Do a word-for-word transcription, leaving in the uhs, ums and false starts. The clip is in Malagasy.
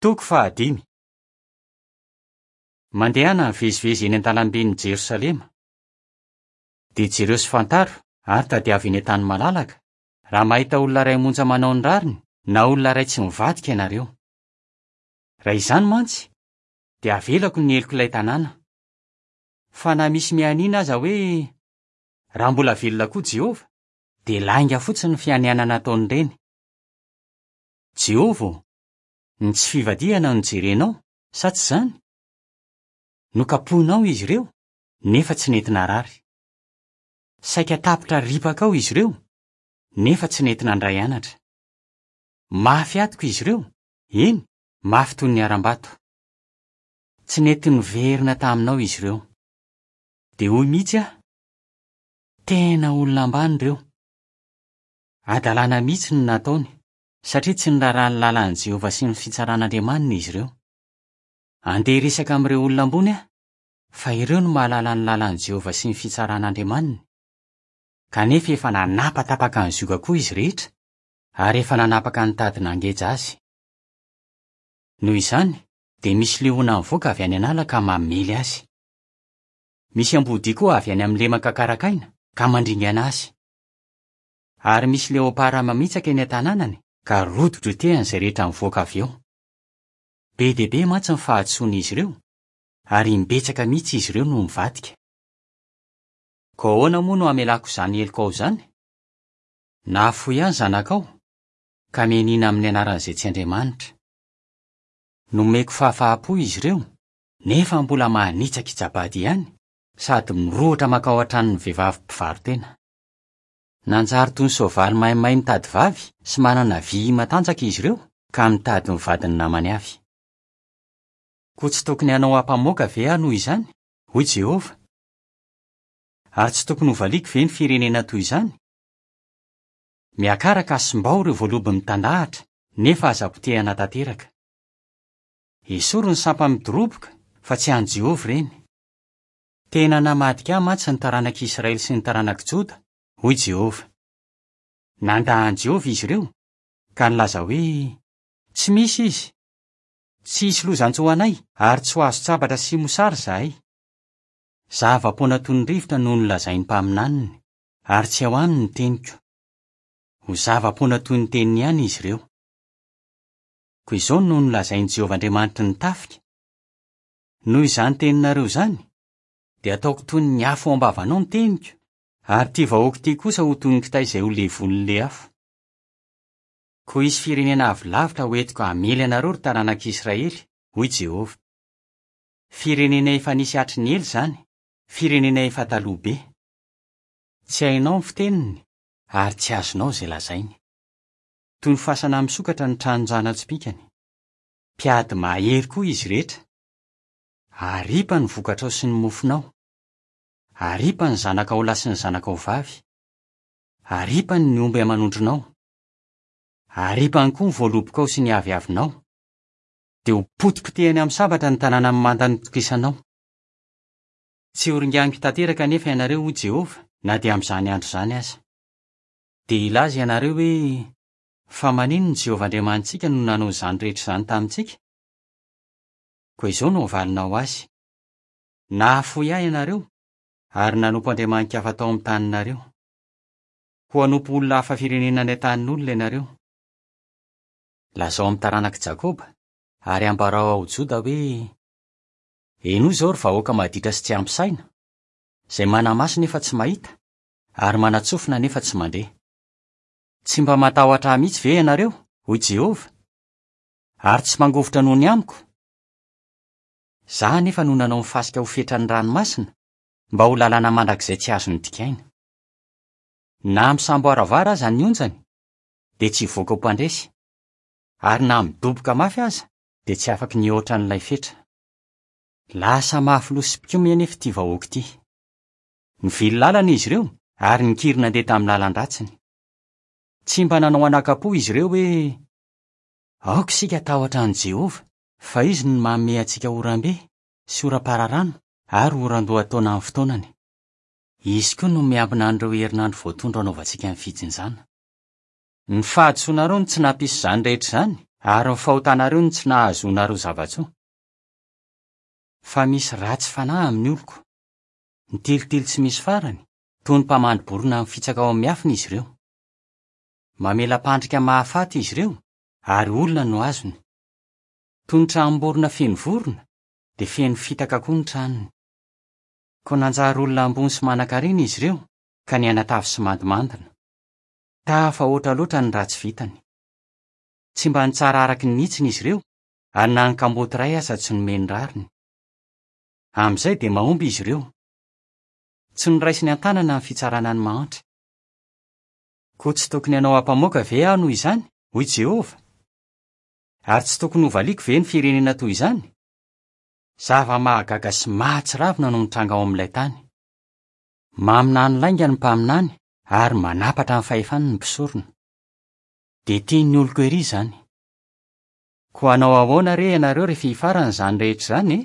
Toko fahadimy. Mandehana mivezivezy eny an-dalamben'i Jerosalema. Dia jereo sy fantaro ary tadiavo eny an-tany malalaka, raha mahita olona iray monja manao ny rariny na olona iray tsy mivadika ianareo. Raha izany mantsy, dia avelako ny heloko ilay tanàna. Fa na misy mianiana aza hoe raha mbola velona koa Jehovah, dia lainga fotsiny ny fianianana ataon'ireny. Jehovah ô, ny tsy fivadihana no jerenao, sa tsy izany? Nokapohinao izy ireo, nefa tsy nety narary. Saika tapitra ripaka ao izy ireo, nefa tsy nety nandray anatra. Mafy atoko izy ireo, eny, mafy toy ny harambato. Tsy nety niverina taminao izy ireo. Dia hoy mihitsy aho, tena olona ambany ireo. Hadalana mihitsy no nataony, satria tsy niraharaha ny lalan'i Jehovah sy ny fitsaran'Andriamaniny izy ireo. Andeha hiresaka amin'ireo olona ambony aho, fa ireo no mahalala ny lalan'i Jehovah sy ny fitsaran'Andriamaniny. Kanefa efa nanapatapaka ny zioga koa izy rehetra, ary efa nanapaka ny tady nangeja azy. Noho izany, dia misy liona mivoaka avy any an'ala ka mamely azy. Misy ambodia koa avy any amin'ny lemaka karakaina ka mandringana azy. Ary misy leopara mamitsaka eny an-tanànany ka rodidrodehany izay rehetra mivoaka avy eo. Be dia be mantsy ny fahadisoan'izy ireo, ary imbetsaka mihitsy izy ireo no mivadika. Koa ahoana moa no hamelako izany heloka ao izany? Nahafoy ahy ny zanakao, ka mianiana amin'ny anaran'izay tsy Andriamanitra. Nomeko fahafaham-po izy ireo, nefa mbola manitsakitsa-bady ihany, sady mirohotra mankao an-tranon'ny vehivavy mpivaro-tena. Nanjary toy ny soavaly maimay mitady vavy sy manana vy matanjaka izy ireo, ka mitady ny vadin'ny namany avy. Koa tsy tokony hanao ampamoaka ve aho noho izany? Hoy Jehovah. Ary tsy tokony hovaliako ve ny firenena toy izany? Miakara ka simbao ireo voalobo mitandahatra, nefa aza potehana tanteraka. Esory ny sampa midoroboka, fa tsy an'i Jehovah ireny. Tena namadika ahy mantsy ny taranak'Israely sy ny taranak'i Joda, hoy Jehovah. Nandà an'i Jehovah izy ireo, ka nilaza hoe, tsy misy izy. Tsy hisy loza-njo anay ary tsy ho azon-tsabatra sy mosary izahay. Zava-poana toy ny rivotra no nolazain'ny mpaminaniny, ary tsy ao aminy ny teniko. Ho zava-poana toy ny teniny ihany izy ireo. Koa izao no nolazain'i Jehovah Andriamanitry ny tafika. Noho izany teninareo izany, dia ataoko toy ny afo ao am-bavanao ny teniko, ary ity vahoaka ity kosa ho toy ny kitay izay ho levonin'ilay afo. Koa hisy firenena avy lavitra ho entiko hamely anareo ry taranak'Israely, hoy Jehovah. Firenena efa nisy hatry ny ela izany, firenena efa taloha be. Tsy hainao ny fiteniny, ary tsy azonao izay lazainy. Toy ny fasana misokatra ny tranon-jana-tsipìkany. Mpiady mahery koa izy rehetra. Aripa ny vokatrao sy ny mofonao. Aripa ny zanakao lahy sy ny zanakao vavy. Aripa ny omby aman'ondrinao. Aripany koa ny voalobokao sy ny aviavinao. Dia ho potipotehany amin'ny sabatra ny tanàna mimanda nitokisanao. Tsy horinganiko tanteraka anefa ianareo, hoy Jehovah, na dia amin'izany andro izany aza. Dia hilaza ianareo hoe, fa maninona Jehovah Andriamanitsika no nanao izany rehetra izany tamintsika? Koa izao no havalinao azy. Nahafoy ahy ianareo, ary nanompo andriamani-kafa tao amin'ny taninareo. Koa hanompo olona hafa firenena any an-tanin'olona ianareo. Lazao amin'ny taranak'i Jakoba, ary ambarao ao Joda hoe, henoy izao ry vahoaka maditra sy tsy ampy saina, izay manamaso nefa tsy mahita, ary manatsofina nefa tsy mandre. Tsy mba matahotra ahy mihitsy ve ianareo, hoy Jehovah, ary tsy mangovitra noho ny amiko? Izaho anefa no nanao ny fasika ho fetran'ny ranomasina, mba ho lalana mandrakizay tsy azony dikaina. Na misamboaravoara aza ny onjany, dia tsy hivoaka ho mpandresy, ary na midoboka mafy aza, dia tsy afaky nihoatra an'ilay fetra. Lasa mafy loha sy mpikomy anefa ity vahoaka ity. Nivily lalana izy ireo ary nikiry nandeha tamin'ny lalan-dratsiny. Tsy mba nanao anakam-po izy ireo hoe, aoka isika hatahotra an'i Jehovah, fa izy no manome antsika oram-be sy oram-pararano ary oran-dohataona amin'ny fotoanany. Izy koa no miambina an'ireo herinandro voatondro anaovantsika ny fijinjana. Ny fahadisoanareo no tsy nampisy izany rehetra izany, Ary ny fahotanareo no tsy nahazoanareo zava-tsoa. Fa misy ratsy fanahy amin'ny oloko. Mitilitily tsy misy farany, toy ny mpamandri-borona mifitsaka ao amin'ny miafina izy ireo. Mamela-pandrika mahafaty izy ireo, ary olona no azony. Toy ny tranom-borona feno vorona, dia feno fitaka koa ny tranony. Koa nanjary olona ambony sy manan-karena izy ireo, ka nianatavy sy mandimandina. Tafahoatra loatra ny ratsy vitany. Tsy mba nitsara araka ny hitsiny izy ireo, ary na ny kamboty iray aza tsy nomeny rariny. Amin'izay dia mahomby izy ireo. Tsy noraisiny an-tanana ny fitsarana ny mahantra. Koa tsy tokony hanao ampamoaka ve aho noho izany, hoy Jehovah? Ary tsy tokony hovaliako ve ny firenena toy izany? Zava-mahagaga sy mahatsiravina no mitranga ao amin'ilay tany. Maminany lainga ny mpaminany ary manapatra ny fahefany ny mpisorona. Dia tian'ny oloko ery izany. Koa hanao ahoana re ianareo rehefa hifarana izany rehetra izany e?